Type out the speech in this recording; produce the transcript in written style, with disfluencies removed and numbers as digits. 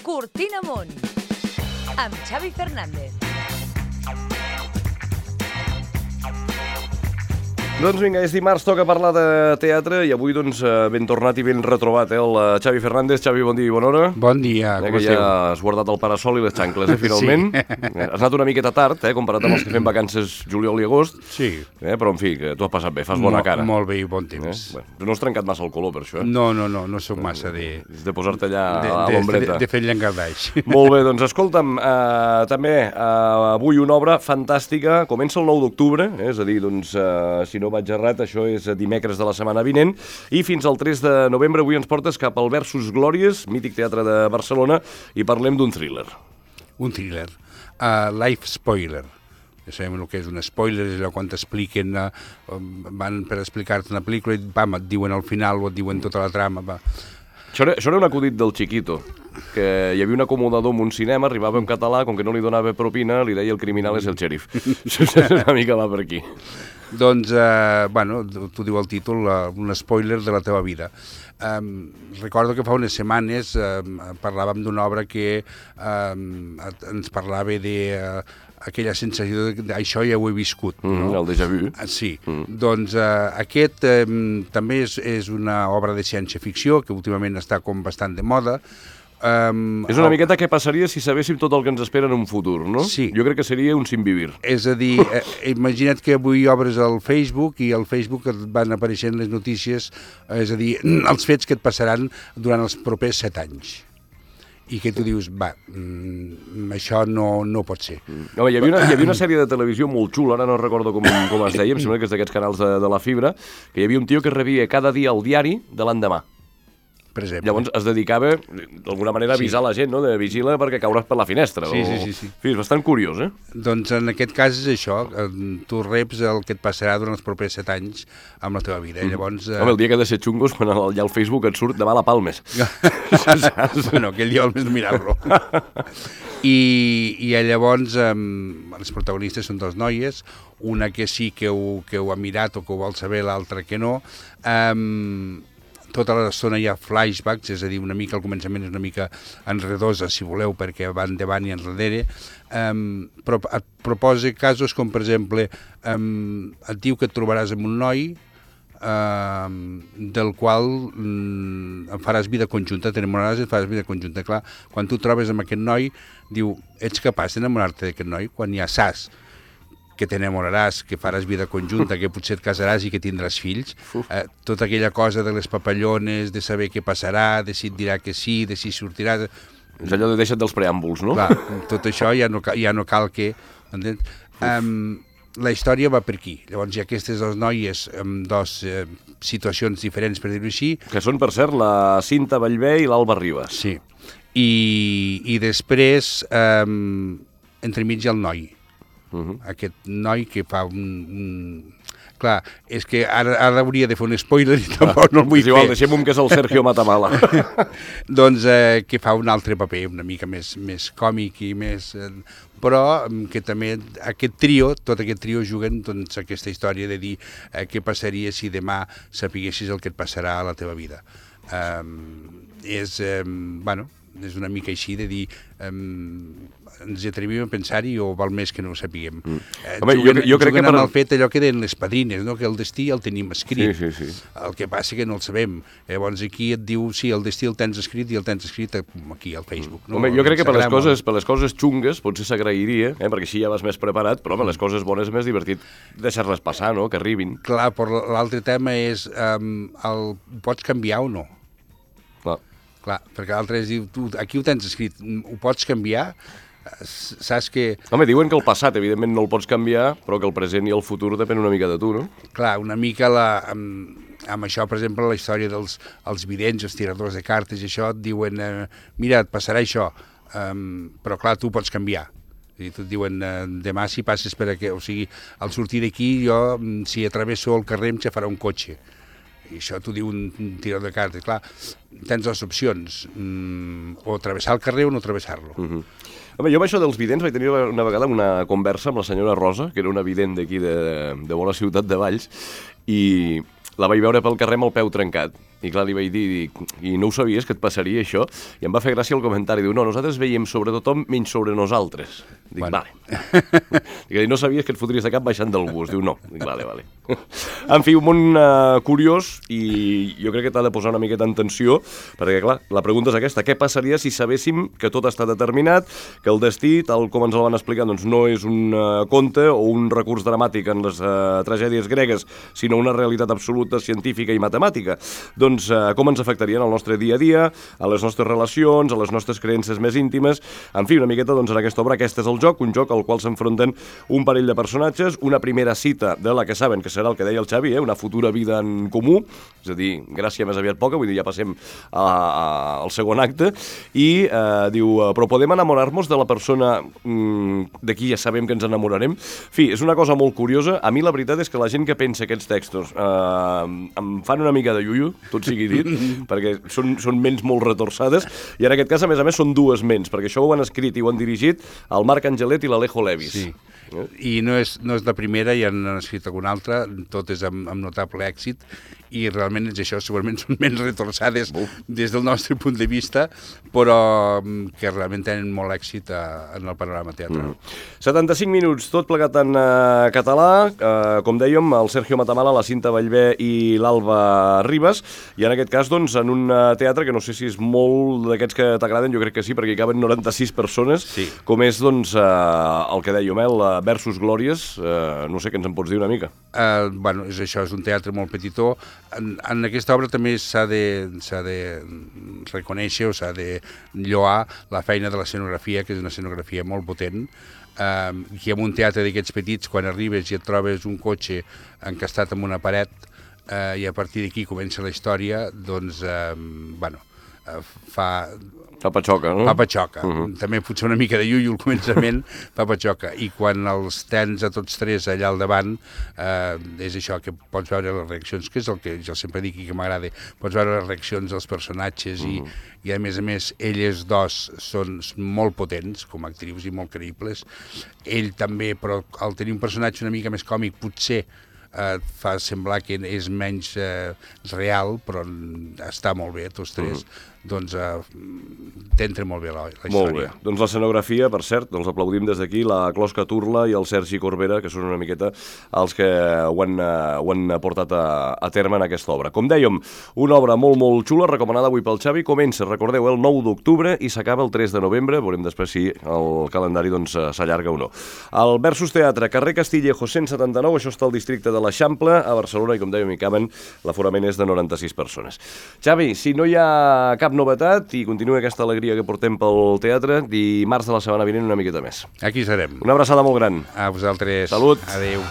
Cortina Amunt, amb Xavi Fernández. Doncs vinga, és dimarts, toca parlar de teatre i avui doncs ben tornat i ben retrobat, el Xavi Fernández. Xavi, bon dia i bona hora. Bon dia, com esteu? Ja has guardat el parasol i les xancles, finalment. Sí. Has anat una miqueta tard, comparat amb els que fem vacances juliol i agost. Sí. Però en fi, que tu has passat bé, fas bona cara. Molt bé i bon temps. Bueno, no has trencat massa el color per això, No soc massa de... És de posar-te allà a l'ombreta. De fer llengardaix. Molt bé, doncs escolta'm, també avui una obra fantàstica, comença el 9 d'octubre, és a dir, doncs, si no vaig errat, això és dimecres de la setmana vinent, i fins al 3 de novembre avui ens portes cap al Versus Glòries, mític teatre de Barcelona, i parlem d'un thriller. Un thriller. Life spoiler. Ja sabem el que és un spoiler, és allò quan t'expliquen, van per explicar-te una pel·lícula i et diuen al final o et diuen tota la trama. Això era un acudit del Chiquito, que hi havia un acomodador en un cinema, arribava en català, com que no li donava propina, li deia el criminal és el xèrif. Una mica va per aquí. Doncs, t'ho diu el títol, un spoiler de la teva vida. Recordo que fa unes setmanes parlàvem d'una obra que ens parlava d'aquella sensació de això ja ho he viscut. No? El déjà vu. Sí. Doncs aquest també és una obra de ciència-ficció que últimament està com bastant de moda. És una miqueta què passaria si sabéssim tot el que ens espera en un futur, no? Sí. Jo crec que seria un sin vivir. És a dir, imagina't que avui obres el Facebook i al Facebook et van apareixent les notícies, és a dir, els fets que et passaran durant els propers 7 anys. I que tu dius, això no pot ser. Home, hi havia una sèrie de televisió molt xula, ara no recordo com es deia, em sembla que és d'aquests canals de la fibra, que hi havia un tio que rebia cada dia el diari de l'endemà. Per exemple. Llavors es dedicava, d'alguna manera, a avisar la gent, no? De vigila perquè cauràs per la finestra. Sí. És bastant curiós, Doncs en aquest cas és això, tu reps el que et passarà durant els propers 7 anys amb la teva vida. Llavors, home, el dia que ha de ser xungos, quan allà al Facebook et surt demà la Palmes. Bueno, aquell dia almenys mirar-lo. I llavors els protagonistes són 2 noies, una que sí que ho ha mirat o que ho vol saber, l'altra que no. Tota l'estona hi ha flashbacks, és a dir, una mica al començament és una mica enredosa, si voleu, perquè van davant i enrere, però et proposa casos com, per exemple, et diu que et trobaràs amb un noi del qual faràs vida conjunta, t'enamoraràs i faràs vida conjunta. Clar, quan tu trobes amb aquest noi, diu, ets capaç d'enamorar-te d'aquest noi? Quan ja saps que t'enamoraràs, que faràs vida conjunta, que potser et casaràs i que tindràs fills, tota aquella cosa de les papallones, de saber què passarà, de si et dirà que sí, de si sortiràs... És allò de deixa't dels preàmbuls, no? Clar, tot això ja no cal que... Entens? La història va per aquí. Llavors hi ha aquestes 2 noies amb 2 situacions diferents, per dir-ho així. Que són, per cert, la Cinta Ballbé i l'Alba Ribas. Sí. I després, entremig hi ha el noi. Aquest noi que fa Clar, és que ara hauria de fer un spoiler i tampoc no el vull fer. Igual, deixem-ho que és el Sergio Matamala. Doncs que fa un altre paper, una mica més còmic i més... Però que també tot aquest trio juguen doncs, aquesta història de dir què passaria si demà sapiguessis el que et passarà a la teva vida. És una mica així de dir... ens atrevim a pensar-hi o val més que no ho sapiguem. Home, jo crec que amb el fet allò que deien les padrines, no? Que el destí el tenim escrit. Sí. El que passa que no el sabem. Llavors aquí et diu, sí, el destí el tens escrit i el tens escrit aquí al Facebook. No? Home, jo crec que per les coses xungues potser s'agrairia, perquè així ja vas més preparat, però les coses bones és més divertit deixar-les passar, no? Que arribin. Clar, però l'altre tema és pots canviar o no? Clar, perquè l'altre és dir, tu aquí ho tens escrit, ho pots canviar? Saps que... Home, diuen que el passat, evidentment, no el pots canviar, però que el present i el futur depèn una mica de tu, no? Clar, una mica amb això, per exemple, la història dels vidents, els tiradors de cartes i això, et diuen, mira, et passarà això, però clar, tu pots canviar. I tu et diuen, demà si passes per aquí, o sigui, al sortir d'aquí, jo, si atravesso el carrer, em xafarà un cotxe. I això t'ho diu un tirador de cartes. Clar, tens 2 opcions, o travessar el carrer o no travessar-lo. Home, jo amb això dels vidents vaig tenir una vegada una conversa amb la senyora Rosa, que era una vident d'aquí de bona ciutat de Valls, i la vaig veure pel carrer amb el peu trencat. I clar, li vaig dir, i no ho sabies que et passaria això? I em va fer gràcia el comentari, diu, no, nosaltres veiem sobre tothom menys sobre nosaltres. Dic, bueno. Vale. Dic, no sabies que et fotries de cap baixant del bus? Diu, no. Dic, vale. En fi, un món curiós, i jo crec que t'ha de posar una miqueta en tensió, perquè clar, la pregunta és aquesta, què passaria si sabéssim que tot està determinat, que el destí, tal com ens el van explicar, doncs no és un conte o un recurs dramàtic en les tragèdies gregues, sinó una realitat absoluta, científica i matemàtica. Doncs com ens afectarien al nostre dia a dia, a les nostres relacions, a les nostres creences més íntimes, en fi, una miqueta doncs en aquesta obra, aquest és el joc, un joc al qual s'enfronten un parell de personatges, una primera cita de la que saben que serà el que deia el Xavi, una futura vida en comú, és a dir, gràcia més aviat poca, vull dir, ja passem al segon acte, i diu, però podem enamorar-nos de la persona de qui ja sabem que ens enamorarem? En fi, és una cosa molt curiosa. A mi la veritat és que la gent que pensa aquests textos em fan una mica de iuiu, tot sigui dit, perquè són ments molt retorçades, i en aquest cas, a més, són dues ments, perquè això ho han escrit i ho han dirigit el Marc Angelet i l'Alejo Levis. Sí. I no és la primera, ja n'han escrit alguna altra, tot és amb notable èxit, i realment és això, segurament són menys retorçades des del nostre punt de vista, però que realment tenen molt èxit en el panorama teatral. 75 minuts, tot plegat en català, com dèiem, el Sergio Matamala, la Cinta Vallvé i l'Alba Ribas, i en aquest cas, doncs, en un teatre que no sé si és molt d'aquests que t'agraden, jo crec que sí, perquè hi caben 96 persones, sí. Com és, doncs, el que dèiem, el Versus Glòries, no sé què ens en pots dir una mica. Bueno, és això, és un teatre molt petitó. En aquesta obra també s'ha de reconèixer o s'ha de lloar la feina de l'escenografia, que és una escenografia molt potent, que en un teatre d'aquests petits, quan arribes i et trobes un cotxe encastat en una paret, i a partir d'aquí comença la història, doncs, bueno, fa patxoca, no? Fa patxoca. També potser una mica de iuiu al començament, fa patxoca. I quan els tens a tots tres allà al davant, és això, que pots veure les reaccions, que és el que jo sempre dic i que m'agrada, pots veure les reaccions dels personatges i a més, elles dos són molt potents com a actrius i molt creïbles. Ell també, però al tenir un personatge una mica més còmic, potser fa semblar que és menys real, però està molt bé, tots tres. Doncs t'entra molt bé la història. Molt bé. Doncs l'escenografia, per cert, els aplaudim des d'aquí, la Closca Turla i el Sergi Corbera, que són una miqueta els que ho han portat a terme en aquesta obra. Com dèiem, una obra molt, molt xula, recomanada avui pel Xavi. Comença, recordeu, el 9 d'octubre i s'acaba el 3 de novembre. Veurem després si el calendari s'allarga o no. El Versus Teatre, carrer Castillejo 179, això està al districte de l'Eixample, a Barcelona, i com dèiem, hi caben, l'aforament és de 96 persones. Xavi, si no hi ha cap novetat i continua aquesta alegria que portem pel teatre, dimarts de la setmana vinent una miqueta més. Aquí serem. Una abraçada molt gran. A vosaltres. Salut. Adéu.